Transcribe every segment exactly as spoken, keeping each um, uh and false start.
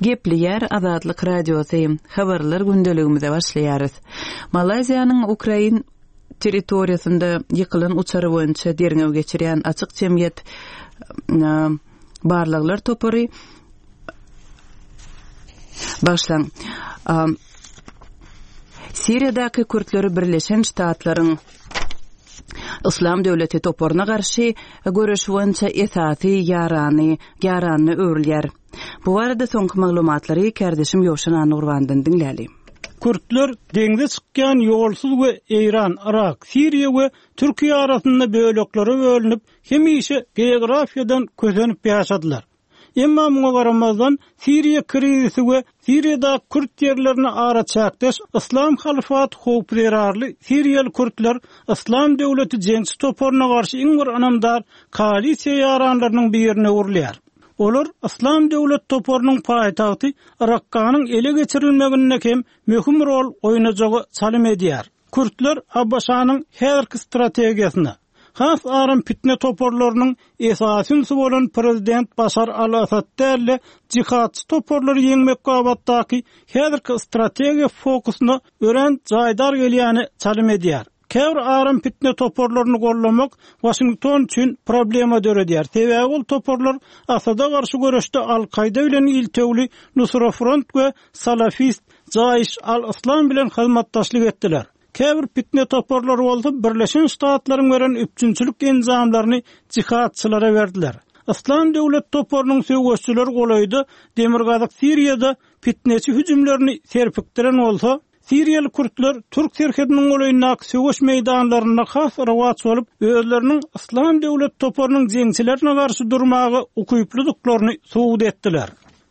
Gepleýär Azatlyk Radiosy, Habarlar gündeligimize başlaýarys. Malaýziýanyň ukrain territoriýasynda ýykylan uçary boýunça derňew geçirýän Açyk jemgyýet barlaglar topary Bagyşlaň. Siriýadaky kürtleri Birleşen Ştatlaryň Yslam döwleti toparyna garşy göreş boýunça esasy ýarany ýaranyna öwrülýär. Bu barada soňky maglumatlary kärdeşim Ýowşan Annagurbandan diňläli. Kürtler deňze çykýan ýolsuz we Eýran, Yrak, Siriýa we Türkiýe arasynda böleklere bölünip, hemişe geografiýadan kösenip ýaşadylar. Emma muňa garamazdan, Siriýa krizisi we Siriýadaky kürt ýerlerine araçäkdeş Yslam halyfaty howpy zerarly siriýaly kürtler Yslam döwleti jeňçi toparyna garşy iň bir ynamdar koalisiýa ýaranlarynyň birine öwrülýär. Olar Yslam döwlet toparynyň paýtagty Rakkanyň ele geçirilmeginde hem möhüm rol oýnajagy çalym edýär. Kürtler ABŞ-nyň häzirki strategiýasyna, has aram pitne toparlarynyň esasy ünsi bolan prezident Başar al-Asad däl-de, jihadçy toparlary ýeňmek babatdaky häzirki strategiýa fokusyna örän jaýdar gelýäni çalym edýär. Käbir aram pitne toparlaryny gollamak Waşington üçin problema döredýär, sebäbi ol toparlar Asada garşy göreşde Al-Kaýda bilen iltewli Nusra Front we salafist Jaýş al-Yslam bilen hyzmatdaşlyk etdiler. Käbir pitne toparlary bolsa Birleşen Ştatlaryň beren üpjünçilik enjamlaryny jihadçylara berdiler. Yslam döwlet toparynyň söweşçileri golaýda Demirgazyk Siriýada pitneçi hüjümlerini serpikdiren bolsa, Siriýaly kürtler türk serhediniň golaýyndaky söweş meýdanlarynda has rowaç bolup, özleriniň Yslam döwlet toparynyň jeňçilerine garşy durmaga ukyplydyklaryny subut etdiler.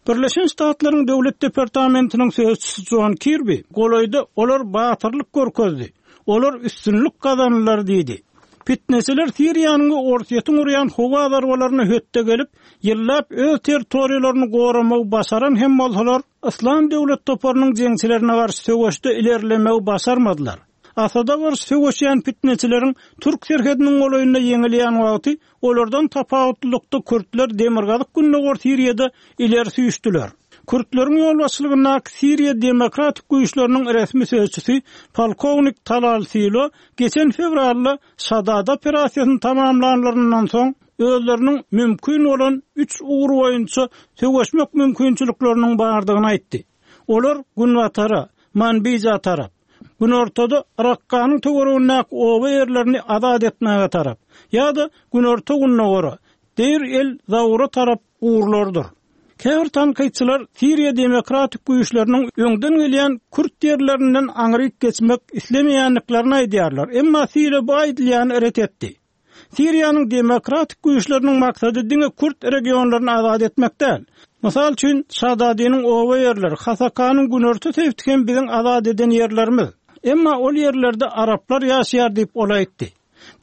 Birleşen Ştatlaryň Döwlet departamentiniň sözçüsi Jon Kirbi golaýda olar batyrlyk görkezdi, olar üstünlik gazandylar diýdi. Pitneçiler Siriýanyň we Orsýetiň urýan howa zarbalaryna hötde gelip, ýyllap öz territoriýalaryny goramagy başaran hem bolsalar, Yslam döwlet toparynyň jeňçilerine garşy söweşde ilerlemegi başarmadylar. Asada garşy söweşýän pitneçileriň türk serhediniň golaýynda ýeňilýän wagty, olardan tapawutlylykda kürtler demirgazyk-gündogar Siriýada ileri süýşdüler. Kürtleriň ýolbaşçylygyndaky Siriýa demokratik güýçleriniň resmi sözçüsi polkownik Talal Silo geçen fewralda Şadad operasiýasyny tamamlanlaryndan soň özleriniň mümkin bolan üç ugur boýunça söweşmek mümkinçilikleriniň bardygyny aýtdy. Olar günbatara, Manbija tarap, günortada Rakkanyň töweregindäki oba ýerlerini azat etmäge tarap ýa-da günorta-gündogara, Deir el-Zaura tarap ugurlardyr. Käbir tankytçylar Siriýa demokratik güýçleriniň öňden gelýän kürt ýerlerinden aňryk geçmek islemeýändiklerini aýdýarlar, emma Siriýa bu aýdylýany ret etdi. Siriýanyň demokratik güýçleriniň maksady diňe kürt regionlaryny azat etmek däl. Mysal üçin, Şadadynyň oba ýerleri, Hasakanyň günorta sebiti hem biziň azat eden ýerlerimiz. Emma ol ýerlerde araplar ýaşaýar diýip, ol aýtdy.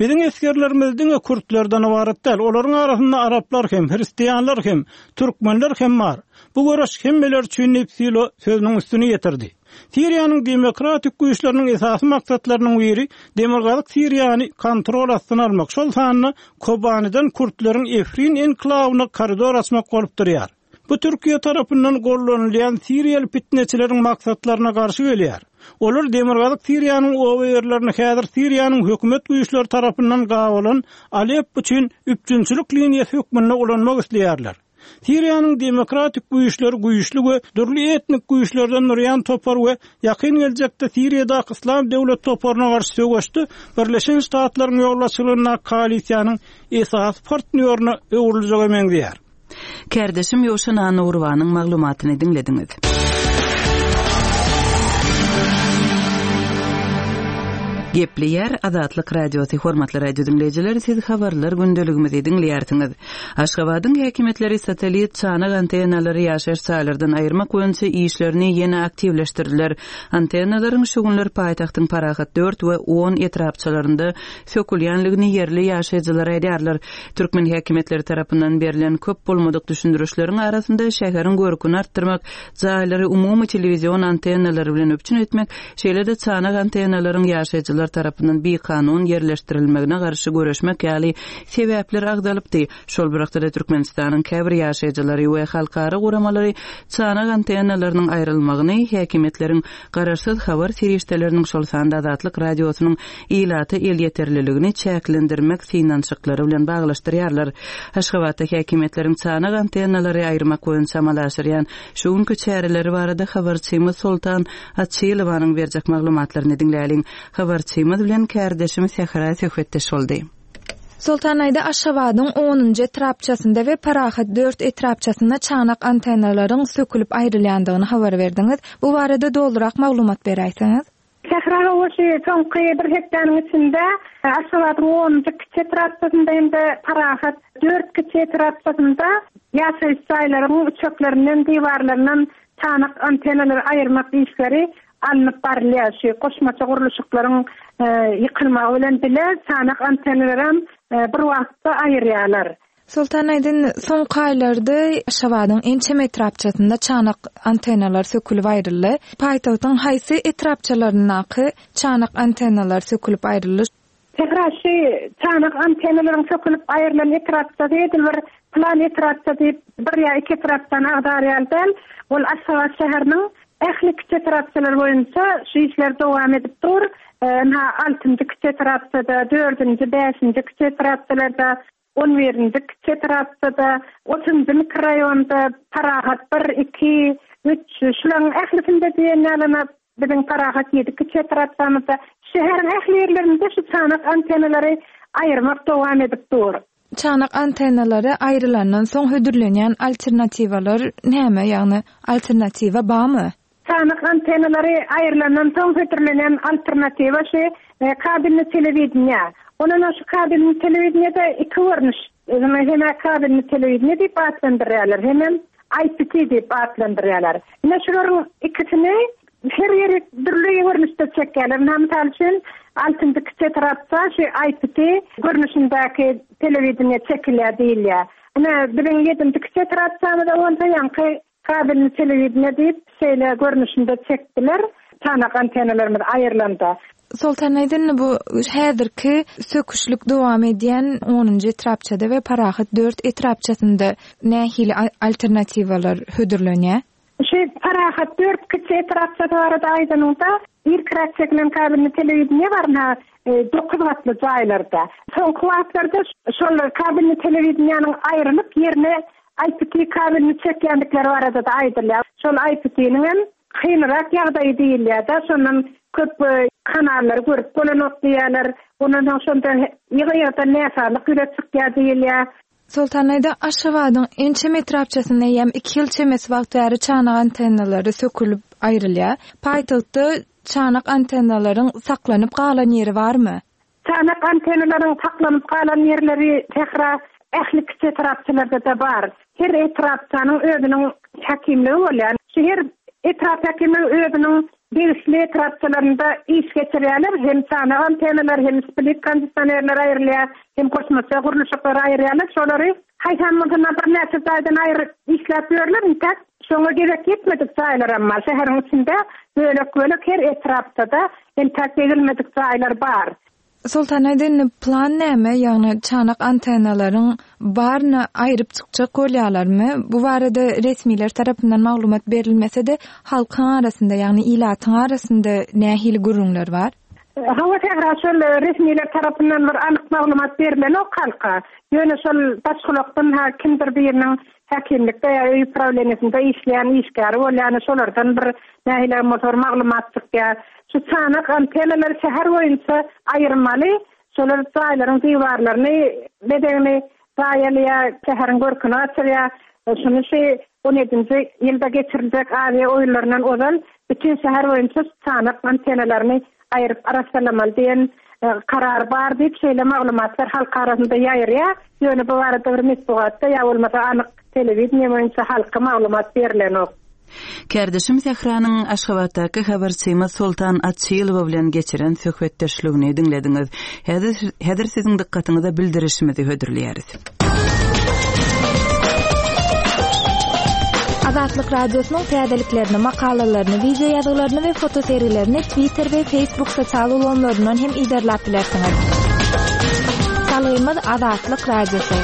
Biziň esgerlerimiz diňe kürtlerden ybarat däl, olaryň arasynda araplar hem, hristianlar hem, türkmenler hem bar. Bu göreş hemmeler üçin diýip, Silo sözüniň üstüni ýetirdi. Siriýanyň demokratik güýçleriniň esasy maksatlarynyň biri Demirgazyk Siriýany kontrol astyna almak, şol sanda Kobanidan kürtleriň Efrin enklawyna koridor açmak bolup durýar. Bu Türkiýe tarapyndan gollanylýan siriýaly pitneçileriň maksatlaryna garşy gelýär. Olar Demirgazyk Siriýanyň oba ýerlerini häzir Siriýanyň hökümet güýçleri tarapyndan gabalan Aleppo üçin üpjünçilik liniýasy hökmünde ulanmak isleýärler. Siriýanyň demokratik güýçleri güýçli we dürli etnik güýçlerden durýan topar we ýakyn geljekde Siriýadaky Yslam döwlet toparyna garşy söweşde Birleşen Ştatlaryň ýolbaşçylygyndaky koalisiýanyň esasy partnýoryna öwrüljege meňzeýär. Kärdeşim Ýowşan Annagurbanyň maglumatyny diňlediňiz. Gepleýär Azatlyk Radiosy hormatly radio diňleýjiler, siz habarlar gündeligimizi diňleýärsiňiz. Aşgabadyň häkimiýetleri satellit çanak antennalary ýaşaýyş jaýlardan aýyrmak boýunça işlerini ýene aktiwleşdirdiler. Antennalaryň şu günler paýtagtyň Parahat dört we on etrapçalarynda sökülýänligini ýerli ýaşaýjylar aýdýarlar. Türkmen häkimiýetleri tarapyndan berlen köp bolmadyk düşündirişleriň arasynda şäheriň görküni artdyrmak, jaýlary umumy telewizion antennalary bilen üpjün etmek, şeýle-de çanak antennalaryň ýaşaýjylar daşaýjylar tarapyndan bikanun ýerleşdirilmegine garşy göreşmek ýaly sebäpler agzalypdy. Şol bir wagtda Türkmenistanyň käbir ýaşaýjylary we halkara guramalary çanak antennalarynyň aýrylmagyny häkimiýetleriň garaşsyz habar serişdeleriniň, şol sanda Azatlyk Radiosynyň ilata elýeterliligini çäklendirmek synanyşyklary bilen baglaşdyrýarlar. Aşgabatda häkimiýetleriň çanak antennalary aýyrmak boýunça amala aşyrýan şu günki çäreleri barada habarçymyz Soltan Açylowanyň berjek maglumatlaryny diňläliň. Habarçymyz bilen kärdeşim Sähra söhbetdeş boldy. Soltan Aýda, Aşgabadyň onunjy etrapçasynda we Parahat dört etrapçasynda çanak antennalaryň sökülip aýrylýandygyny habar berdiňiz. Bu barada dolurak maglumat beräýseňiz. Sähra, şu soňky bir hepdäniň içinde Aşgabadyň onunjy kiçi etrapçasynda hem-de Parahat dört kiçi etrapçasynda ýaşaýyş jaýlaryň üçeklerinden, diwarlaryndan çanak antennalary aýyrmak işleri alnyp barylýar. Şu goşmaça gurluşyklaryň ýykylmagy bilen bile çanak antennalaram bir wagtda aýyrýarlar. Soltan Aýdyn, soňky aýlarda Aşgabadyň ençeme etrapçasynda çanak antennalar sökülip aýryldy. Paýtagtyň haýsy etrapçalaryndaky çanak antennalar sökülip aýryldy? Sähra, şu çanak antennalaryň sökülip aýrylan etrapçasy edil bir plan etrapça diýip bir ýa iki etrapdan agdar ýaly däl. Ol Aşgabat şäheriniň ähli kiçi etrapçalary boýunça şu işler dowam edip dur. Ynha, altynjy kiçi etrapçada, dördünji, bäşinji kiçi etrapçalarda, on birinji kiçi etrapçada, otuzunjy mikroraýonda, Parahat bir, iki, üç, şularyň ählisinde diýen ýalyna biziň Parahat ýedi kiçi etrapçamyzda, şäheriň ähli ýerlerinde şu çanak antennalary aýyrmak dowam edip dur. Çanak antennalary aýrylandan soň hödürlenýän alternatiwalar näme, ýagny alternatiwa barmy? Çanak antennalary aýrylandan soň hödürlenen alternatiwa şu kabelli telewideniýe. Ondan şu kabelli telewideniýede iki görnüş, hem kabelli telewideniýe diýip atlandyrýarlar, hem I P T diýip atlandyrýarlar. Ine şularyň ikisini her ýeri dürli görnüşde çekýärler. Mysal üçin altynjy kiçi etrapda şu I P T görnüşindäki telewideniýe çekilýär diýilýär. Ine biziň ýedinji kiçi etrapçamyzda bolsa ýaňky kabelli telewideniýe diýip şeýle görnüşinde çekdiler. Çanak antennalarymyz aýrylanda. Soltan Aýdyn, bu häzirki söküşlik dowam edýän onunjy etrapçada we Parahat dört etrapçasynda nähili alternatiwalar hödürlenýär? Şu Parahat dört kiçi etrapçasy barada aýdanyňda, irkiräk çekilen kabelli telewideniýe bar, ha, dokuz gatly jaýlarda. Soňky wagtlarda şol kabelli telewideniýäniň aýrylyp ýerine I P T kabelini çekýändikleri barada da aýdylýar. Şol I P T-niň hem kynrak ýagdaýy diýilýär-de, şondan köp kanallary görüp bolanok diýýärler. Ondan soň şonda ýygy-ýygydan näsazlyk ýüze çykýar diýilýär. Soltan Aýda, Aşgabadyň ençeme etrapçasynda eýýäm iki ýyl çemesi wagt bäri çanak antennalary sökülip aýrylýar. Paýtagtda çanak antennalaryň saklanyp galan ýeri barmy? Çanak antennalaryň saklanyp galan ýerleri Sähra ähli kiçi etrapçalarda da bar. Her etrapçanyň özüniň häkimligi bolýar. Şu her etrap häkimligi özüniň degişli etrapçalarynda iş geçirýärler. Hem çanak antennalar, hem split kondisionerler aýrylýar, hem goşmaça gurluşyklar aýyrýarlar. Şolary haýsam bolsa birnäçe jaýdan aýryp işläp ýörler. Intäk şoňa gerek ýetmedik jaýlar hem bar. Şäheriň içinde bölek-bölek her etrapda intäk degilmedik jaýlar bar. Soltan Aýdyn, plan näme? Ýagny çanak antennalaryň baryny aýryp çykjak bolýarlarmy? Bu barada resmiler tarapyndan maglumat berilmese-de, halkyň arasynda, ýagny ilatyň arasynda nähili gürrüňler bar? Hawa, Sähra, şol resmiler tarapyndan bir anyk maglumat berilenok halka. Ýöne şol başgulakdan ha kimdir biriniň häkimlikde ýa öý prawleniýasynda işleýän işgäri bolýany, şolardan bir nähili bolsa bir maglumat çykýar. Şu çanak antennalary şäher boýunça aýyrmaly, şolar jaýlaryň diwarlaryny bedegini zaýalaýar, şäheriň görküni gaçyrýar. Şuny şu on ýedinji ýylda geçiriljek Aziýa oýunlaryndan ozal bütün şäher boýunça çanak antennalaryny aýryp arassalamaly diýen karar bar diýip şeýle maglumatlar halk arasynda ýaýraýar. Ýöne bu barada bir metbugatda ýa bolmasa anyk telewideniýe boýunça halka maglumat berilenok. Kärdeşim Sähranyň Aşgabatdaky habarçymyz Soltan Açylowa bilen geçiren söhbetdeşligini diňlediňiz. Häzir, häzir siziň dykgatyňyza bildirişimizi hödürleýäris. Azatlyk Radiosynyň täzeliklerini, makalalaryny, wideo ýazgylaryny we fotosergilerini Twitter we Facebook sosial ulgamlaryndan hem yzarlap bilersiňiz. Salgymyz Azatlyk Radiosy.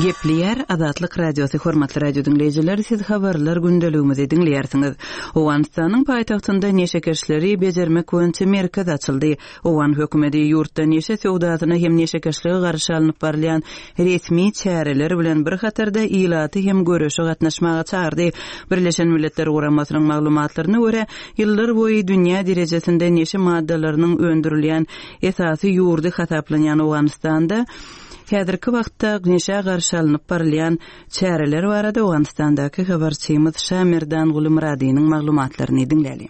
Gepleýär Azatlyk Radiosy hormatly radio diňleýjiler, siz habarlar gündeligimizi diňleýärsiňiz. Owganystanyň paýtagtynda neşekeşleri bejermek boýunça merkez açyldy. Owgan hökümeti ýurtda neşe söwdasyna hem neşekeşlige garşy alnyp barylýan resmi çäreler bilen bir hatarda ilaty hem göreşe gatnaşmaga çagyrdy. Birleşen Milletler Guramasynyň maglumatlaryna görä, ýyllar boýy dünýä derejesinde neşe maddalarynyň öndürilýän esasy ýurdy hasaplanýan Owganystanda häzirki wagtda neşä garşy alnyp barylýan çäreler barada Owganystandaky habarçymyz Şamerdan Gulumyradynyň maglumatlaryny diňläli.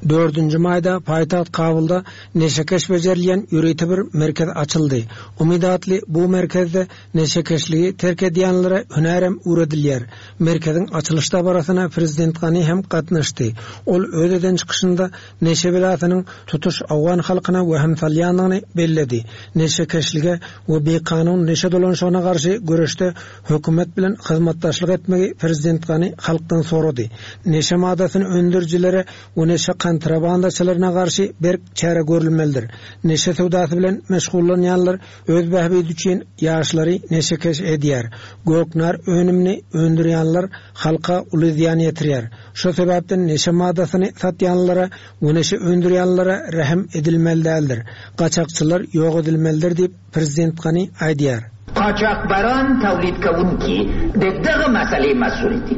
Dördünji maýda paýtagt Kabulda neşekeş bejerilýän ýörite bir merkez açyldy. Umyt atly bu merkezde neşekeşligi terk edýänlere hünärem öwredilýär. Merkeziň açylyş dabarasyna Prezident Gani hem gatnaşdy. Ol öz eden çykyşynda neşe belasynyň tutuş Owgan halkyna wehim salýandygyny belledi. Neşekeşlige we bikanun neşe dolanşygyna garşy göreşde hökümet bilen hyzmatdaşlyk etmegi Prezident Gani halkdan sorady. Neşe maddasyny öndürijilere we neşe kontrabandaçylaryna garşy berk çäre görülmelidir. Neşe söwdasy bilen meşgullanýanlar öz bähbidi üçin ýaşlary neşekeş edýär. Göknar önümini öndürýänler halka uly zyýan ýetirýär. Şu sebäpden neşe maddasyny satýanlara we neşe öndürýänlere rehim edilmeli däldir. Gaçakçylar ýok edilmelidir diýip Prezident Gani aýdýar. قاچاقبران تولید کوونکي د دغه مسئلې مسؤل دي.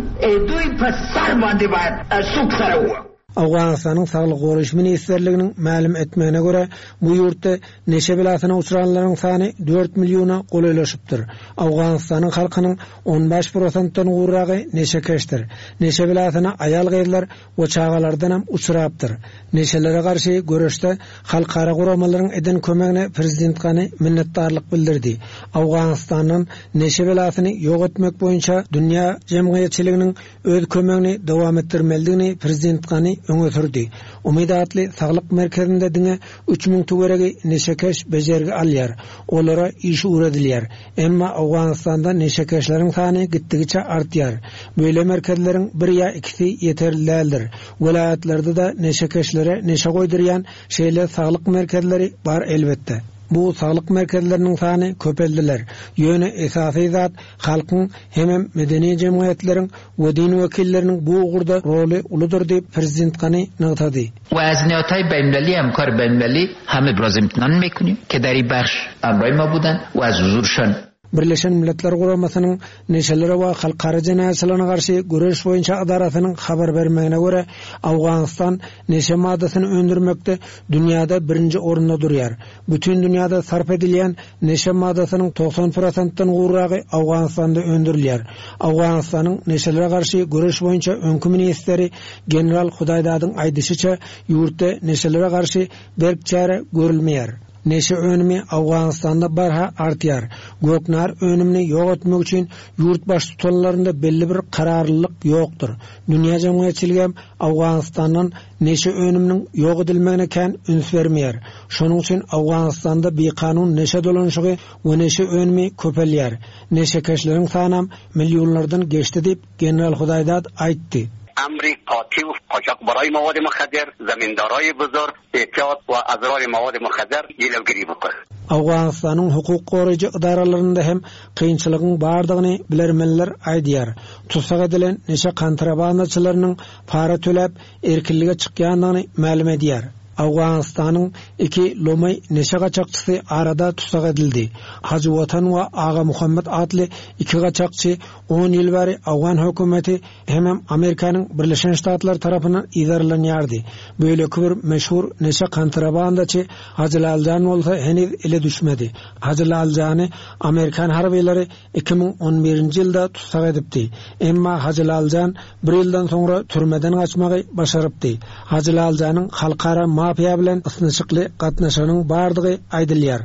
دوی په سر باندې باید سوک سره ووهو. Owganystanyň Saglyk goraýyş ministrliginiň mälim etmegine görä, bu ýurtda neşe belasyna uçranlaryň sany dört milliona golaýlaşypdyr. Owganystanyň halkynyň on bäş prosentden gowragy neşekeşdir. Neşe belasyna aýal gyzlar we çagalardan hem uçrapdyr. Neşelere garşy göreşde halkara guramalaryň eden kömegine Prezident Gani minnetdarlyk bildirdi. Owganystandan neşe belasyny ýok etmek boýunça dünýä jemgyýetçiliginiň öz kömegini dowam etdirmelidigini Prezident Gani öňe sürdi. Umyt atly saglyk merkezinde diňe üç müň töweregi neşekeş bejergi alýar. Olara iş öwredilýär. Emma Owganystanda neşekeşleriň sany gitdigiçe artýar. Böyle merkezleriň bir ýa ikisi ýeterli däldir. Welaýatlarda da neşekeşlere neşe goýdurýan şeýle saglyk merkezleri bar elbetde. Bu saglyk merkezleriniň sany köpeldiler. Ýöne esasy zat halkyň hemem medeni jemgyýetleriň we din wekilleriniň bu ugurda roly uludyr diýip Prezident Gani nygtady. و از نهادهای بین‌المللی همکار بین‌المللی هم ابراز امتنان میکنیم که در این بخش همراه ما بودن و از حضورشان Birleşen Milletler Guramasynyň neşelere we halkara jenaýatçylygyna garşy göreş boýunça edarasynyň habar bermegine görä, Owganystan neşe maddasyny öndürmekde dünýäde birinji orunda durýar. Bütün dünýäde sarp edilýän neşe maddasynyň togsan prosentden gowragy Owganystanda öndürilýär. Owganystanyň neşelere garşy göreş boýunça öňkü ministri General Hudaýdadyň aýdyşyça, ýurtda neşelere garşy berk çäre görülmeýär. Neşe önümi Owganystanda barha artýar. Göknar önümini ýok etmek üçin ýurt baştutanlarynda belli bir kararlılık ýokdur. Dünýä jemgyýetçiligi hem Owganystandan neşe önüminiň ýok edilmegine kän üns bermeýär. Şonuň üçin Owganystanda bikanun neşe dolanşygy we neşe önümi köpelýär. Neşekeşleriň sany millionlardan geçdi diýip General Hudaýdad aýtdy. امر قاطع و قاچاقبرای مواد مخدر، زمیندارای بزرگ، احتیاط و اضرار مواد مخدر جلوگیری بکنه. Owganystanyň hukuk goraýjy edaralarynda hem kynçylygyň bardygyny bilermenler aýdýar. Tutsak edilen neşe kontrabandaçylarynyň para töläp erkinlige çykýandygyny mälim edýär. Owganystanyň iki lomaý neşe gaçakçysy arada tutsak edildi. Hajy Watan we Aga Muhammed atly iki gaçakçy on ýyl bäri Owgan hökümeti hemem Amerikanyň Birleşen Ştatlary tarapyndan yzarlanýardy. Beýleki bir meşhur neşe kontrabandaçy Hajy Laljan bolsa heniz ele düşmedi. Hajy Laljany Amerikan harbylary iki müň on birinji ýylda tutsak edipdi. Emma Hajy Laljan bir ýyldan soňra türmeden gaçmagy başarypdy. Hajy Laljanyň halkara mafiýa bilen ysnyşykly gatnaşygynyň bardygy aýdylýar.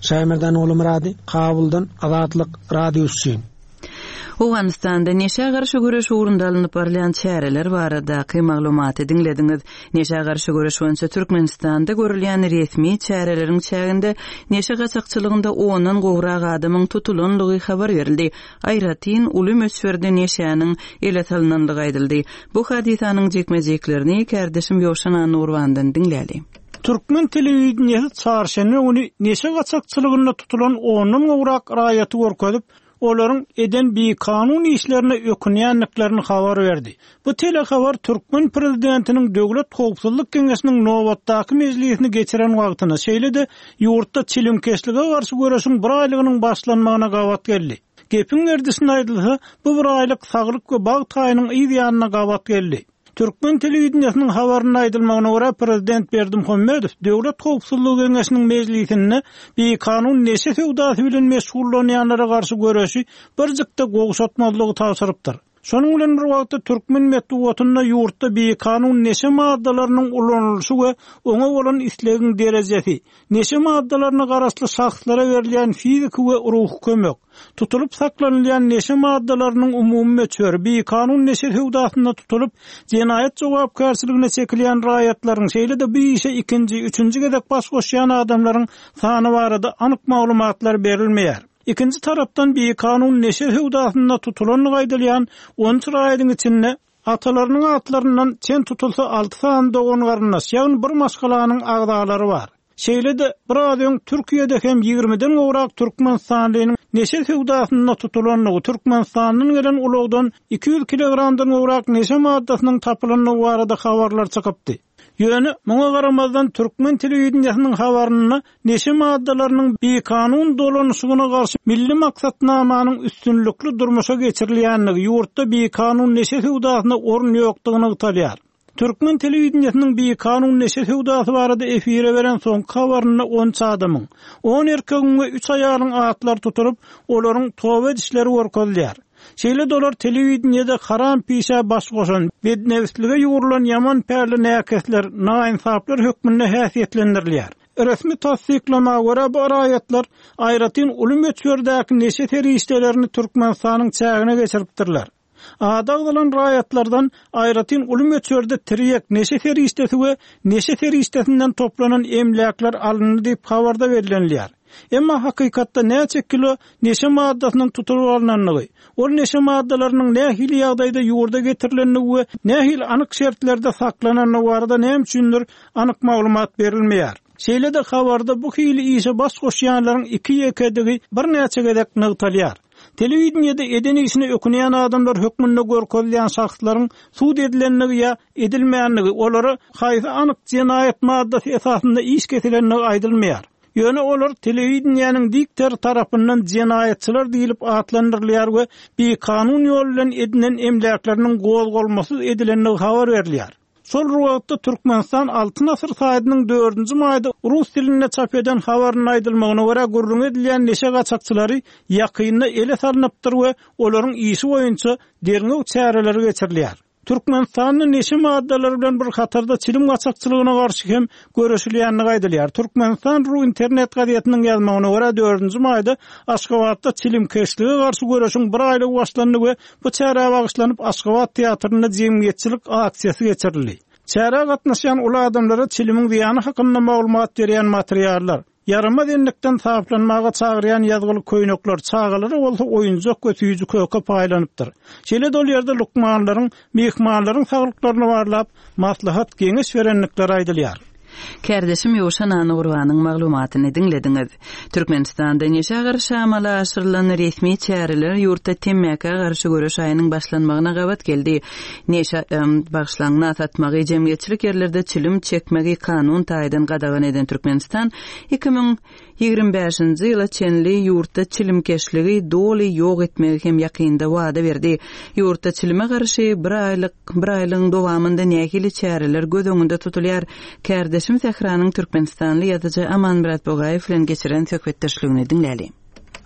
Şaýmerdan Oglumyrady, Kabuldan Azatlyk Radiosy üçin. Owganystanda neşä garşy göreş ugrunda alnyp barylýan çäreler baradaky maglumaty diňlediňiz. Neşä garşy göreş boýunça Türkmenistanda görülýän resmi çäreleriň çäginde neşe gaçakçylygynda ondan gowrak adamyň tutulanlygy habar berildi. Aýratyn uly möçberde neşäniň ele salynanlygy aýdyldy. Bu hadysanyň jikme-jiklerini kärdeşim Ýowşan Annurbandan diňläli. Türkmen telewideniýesi çarşenbe güni neşe gaçakçylygynda tutulan ondan gowrak raýaty görkezip, olaryň eden bikanun işlerine ökünýändiklerini habar berdi. Bu telehabar Türkmen prezidentiniň Döwlet Howpsuzlyk Geňeşiniň nobatdaky mejlisini geçiren wagtyna, şeýle-de ýurtda çilimkeşlige garşy göreşiň bir aýlygynyň başlanmagyna gabat geldi. Gepiň gerdişine aýdylsa, bu bir aýlyk saglyk we bagt aýynyň yz ýanyna gabat geldi. Türkmen telewideniýesiniň habaryna aýdylmagyna görä prezident Berdimuhamedow Döwlet Howpsuzlyk Geňeşiniň mejlisinde bikanun neşe söwdasy bilen meşgullanýanlara garşy göreşi birjikde gowşatmazlygy tabşyrypdyr. Şonuň bilen bir wagtda türkmen metbugatynda ýurtda bikanun neşe maddalarynyň ulanylyşy we oňa bolan islegiň derejesi, neşe maddalaryna garaşly şahslara berilýän fiziki we ruhy kömek, tutulyp saklanylýan neşe maddalarynyň umumy möçberi, bikanun neşe söwdasynda tutulyp jenaýat jogapkärçiligine çekilýän raýatlaryň, şeýle-de bu işe ikinji, üçünji gezek baş goşýan adamlaryň sany barada anyk maglumatlar berilmeýär. Ikinji tarapdan bikanun neşe söwdasynda tutulanlygy aýdylýan on üç raýatyň içinde atalarynyň atlaryndan çen tutulsa alty sany dogan garyndaş, ýagny bir maşgalanyň agzalary bar. Şeýle-de biraz öň Türkiýede hem ýigrimiden gowrak Türkmenistanlynyň neşe söwdasynda tutulanlygy, Türkmenistandan gelen ulagdan iki ýüz kilogramdan gowrak neşe maddasynyň tapylanlygy barada habarlar çykypdy. Ýöne muňa garamazdan türkmen telewideniýesiniň habarynda neşe maddalarynyň bikanun dolanyşygyna garşy milli maksatnamanyň üstünlikli durmuşa geçirilýänligi, ýurtda bikanun neşe söwdasyna orun ýokdugyny nygtalýar. Türkmen telewideniýesiniň bikanun neşe söwdasy barada efire beren soňky habarynda on üç adamyň, on erkegiň we üç aýalyň atlary tutulyp, olaryň toba edişleri görkezilýär. Şeýle dolar telewideniýede haram pişä baş goşan, bednewslige ýugrulan ýaman pärli näkesler, naýynsaplar hökmünde häsiýetlendirilýär. Resmi tassyklama görä bu raýatlar aýratyn uly möçberdäki neşe serişdelerini Türkmenistanyň çägine geçiripdirler. Adag bolan raýatlardan aýratyn uly möçberde tirýek neşe serişdesi we neşe serişdesinden toplanan emläkler alyndy diýip habarda bellenilýär. Emma hakykatda näçe kilo neşe maddasynyň tutulyp alynandygy, ol neşe maddalarynyň nähili ýagdaýda ýurda getirilendigi we nähili anyk şertlerde saklanandygy barada näme üçindir anyk maglumat berilmeýär. Şeýle-de habarda bu hili işe baş goşýanlaryň iki ýekedigi birnäçe gezek nygtalýar. Telewideniýede eden işini ökünýän adamlar hökmünde görkezilýän şahslaryň sud edilendigi ýa edilmeýändigi, olara haýsy anyk jenaýat maddasy esasynda iş kesilendigi aýdylmaýar. Ýöne olar telewideniýäniň diktor tarapyndan jenaýatçylar diýilip atlandyrylýar we bikanun ýol bilen edinen emläkleriniň gozgalmasyz edilendigi habar berilýär. Şol wagtda Türkmenistan Altyn Asyr saýtynyň dördünji maýda rus dilinde çap eden habaryny aýdylmagyna görä gürrüň edilýän neşe gaçakçylary ýakynda ele salynypdyr we olaryň işi boýunça derňew çäreleri geçirilýär. Türkmenistanda neşe maddalary bilen bir hatarda çilim gaçakçylygyna garşy hem göreşilýänligi aýdylýar. Türkmenistan Ru internet gazetiniň ýazmagyna görä dördünji maýda Aşgabatda çilimkeşlige garşy göreşiň bir aýlygy başlandy we bu çärä bagyşlanyp Aşgabat teatrynda jemgyýetçilik aksiýasy geçirildi. Çärä gatnaşýan uly adamlara çilimiň zyýany hakynda maglumat berýän materiallar, ýaramaz enlikden saplanmaga çagyrýan ýazgyly köýnekler, çagalara bolsa oýunjak we süýji köke paýlanypdyr. Şeýle-de ol ýerde lukmanlaryň, myhmanlaryň saglyklaryny barlap, maslahat geňeş berendikleri aýdylýar. Kärdeşim Ýowşan Annurbanyň maglumatyny diňlediňiz. Türkmenistanda neşe garşy amala aşyrylan resmi çäreler ýurtda temmäkä garşy göreş aýynyň başlanmagyna gabat geldi. Neşe, em, bagyşlaňna satmagy, jemgyýetçilik ýerlerde çilim çekmegi kanun taýdan gadagan eden Türkmenistan iki müň ýigrimi bäşinji ýyla çenli ýurtda çilimkeşligi doly ýok etmegi hem ýakynda wada berdi. Ýurtda çilime garşy bir aýlyk, bir aýlygyň dowamynda nähili çäreler göz öňünde tutulýar? Kärdeşim Sähranyň Türkmenistanly ýazyjy Amanmyrat Bogaýew bilen geçiren söhbetdeşligini diňläli.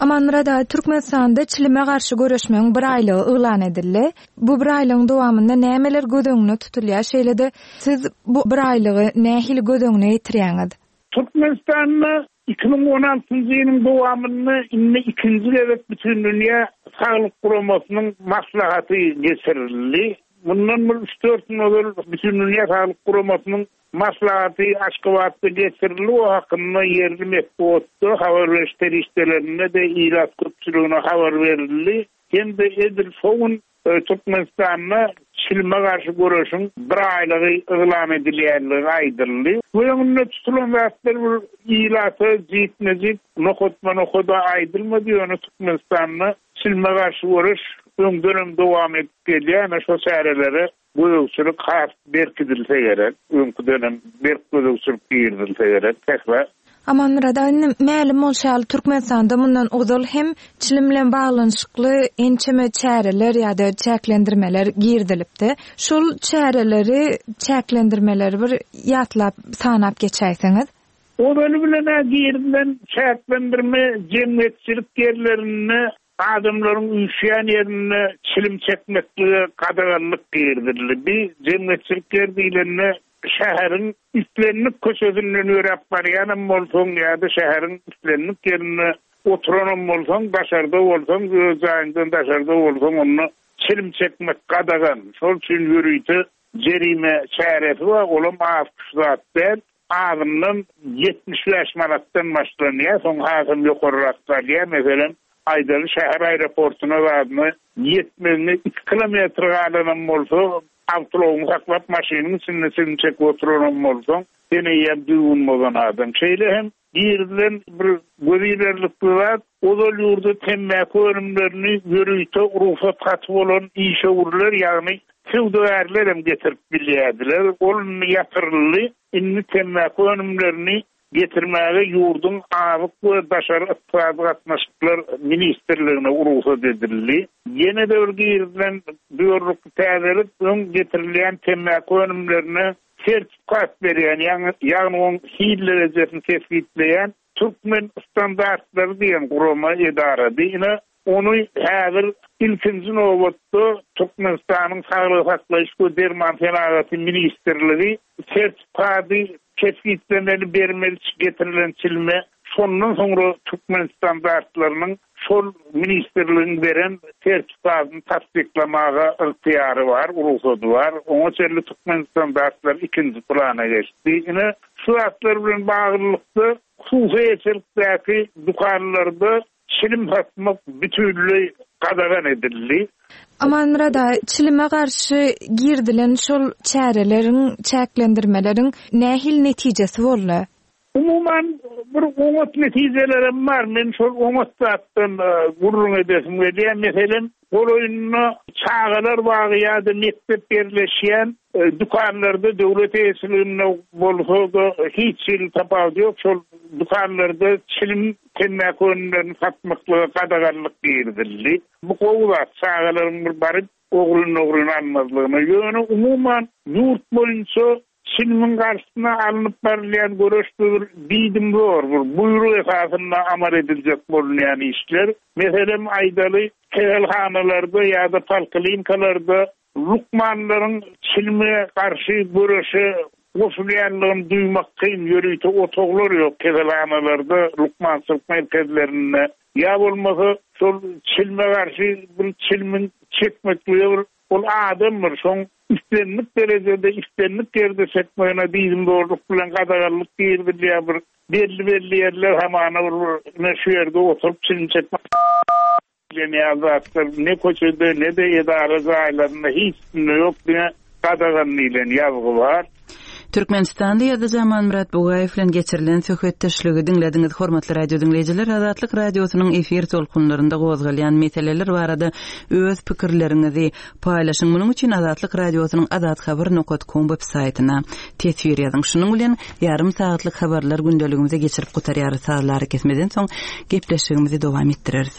Amanmyrat aga, Türkmenistanda çilime garşy göreşmegiň bir aýlygy yglan edildi. Bu bir aýlygyň dowamynda nämeler göz öňünde tutulýar? Şeýle-de siz bu bir aýlygy nähili göz öňüne getirýäňiz? Türkmenistanda Iki müň on altynjy ýylyň dowamynda indi ikinji gezek Bütindünýä Saglyk Guramasynyň maslahaty geçirildi. Mundan bir üç-dört gün ozal Bütindünýä Saglyk Guramasynyň maslahaty Aşgabatda geçirildi. O hakynda ýerli metbugatda, habar beriş serişdelerinde-de ilat köpçüligine habar berildi. Hem-de edil şo gün Türkmenistanda çilime garşy göreşiň bir aýlygy yglan edilýänligi aýdyldy. Bu öňünde tutulan zatlar bir ilata jikme-jik, nokatma-nokada aýdylmady. Ýöne Türkmenistanda çilime garşy göreş öňdenem dowam edip gelýär. Ýöne şo çärelere gözegçilik has berkidilse gerek. Öňküdenem berk gözegçilik girizilse gerek. Sähra. Amanmyrat aga, indi mälim bolşy ýaly Türkmenistanda mundan ozal hem çilim bilen baglanyşykly ençeme çäreler ýa-da çäklendirmeler girizilipdi. Şol çäreleri, çäklendirmeleri bir ýatlap, sanap geçäýseňiz. Ozaly bilen-ä girizilen çäklendirme jemgyýetçilik ýerlerinde adamlaryň üýşýän ýerinde çilim çekmeklige gadaganlyk girizildi. Bir jemgyýetçilik ýer diýlende şäheriň islendik köçesinden ýöräp barýanam bolsaň ýa-da şäheriň islendik ýerinde oturanam bolsaň, daşarda bolsaň, öz jaýyňdan daşarda bolsaň, onda çilim çekmek gadagan. Şol üçin ýörite jerime çäresi bar, olam az kuş zat däl. Azyndan ýetmiş bäş manatdan başlanýar, soň hasam ýokarrak galýar. Meselem, aýdaly şäher aeroportuna zadyna ýetmegine iki kilometr galanam bolsa, awtoulagyňy saklap maşynyň içinde çilim çekip oturanam bolsaň, sen eýýäm düzgün bozan adam. Şeýle hem girizilen bir gözilerlikli zat, ozal ýurda temmäki önümlerini ýörite rugsat haty bolan işewürler, ýagny söwdagärler hem getirip bilýärdiler. Ol indi ýatyryldy. Indi temmäki önümlerini getirmäge ýurduň Azyk we Daşary ykdysady gatnaşyklar ministrligine rugsat edildi. Ýene-de bir girizilen düýerlikli täzelik, öň getirilýän temmäki önümlerine sertifikat berýän, ýagny, ýagny oň hil derejesini kesgitleýän Türkmen standartlary diýen gurama edarady. Ine, ony häzir ilkinji nobatda Türkmenistanyň Saglygy saklaýyş we derman senagaty ministrligi sertifikady kesgitlemeli, bermeli getirilen çilime, şondan soňra Türkmen standartlarynyň şol ministrligiň beren sertifikatyny tassyklamaga ygtyýary bar, rugsady bar. Oňa çenli Türkmen standartlary ikinji plana geçdi. Ine, şu zatlar bilen baglylykda hususy eýeçilikdäki dükanlarda çilim satmak bütünleý gadagan edildi. Amanmyrat aga, çilime garşy girdilen şol çäreleriň, çäklendirmeleriň nähili netijesi boldy? Umuman bir oňat netijelerem bar. Men şol oňat zatdan, e, gürrüň edesim gelýär. Meselem, golaýynda çagalar bagy ýa-da mekdep ýerleşýän, e, dükanlarda döwlet eýeçiliginde bolsa-da hiç hili tapawudy ýok. Şol dükanlarda çilim temmäki önümlerini satmaklyga gadaganlyk girizildi. Bu gowy zat, çagalaryň bir baryp ogryn-ogryn almazlygyna. Ýöne umuman ýurt boýunça çilimiň garşysyna alnyp barylýan göreş bir diýdimzor, bir buýruk esasynda amal ediljek bolunýan işler. Meselem, aýdaly, keselhanalarda ýa-da poliklinikalarda lukmanlaryň çilime garşy göreşe goşulýanlygyny duýmak kyn, ýörite otaglar ýok keselhanalarda, lukmançylyk merkezlerinde. Ýa bolmasa şol çilime garşy bir çilimin çekmeklige bir ol adam bir şoň islendik derejede, islendik ýerde çekmegine diýdimzorluk bilen gadaganlyk girizilýär. Bir belli-belli ýerler hamana bir, bir şu ýerde oturyp çilim çekmek diýen ýaly zatlar ne köçede, ne de edara jaýlarynda hiç kimde ýok, diňe gadagan diýlen ýazgy bar. Türkmenistanda ýazyjy Amanmyrat Bugaýew bilen geçirilen söhbetdeşligi diňlediňiz. Hormatly radio diňleýjiler, Azatlyk radiosynyň efir tolkunlarynda gozgalýan meseleler barada öz pikirleriňizi paýlaşyň. Munuň üçin Azatlyk radiosynyň azathabar nokta com web saýtyna teswir ýazyň. Şunuň bilen ýarym sagatlyk habarlar gündeligimizi geçirip gutarýarys. Sazlary kesmeden soň gepleşigimizi dowam etdireris.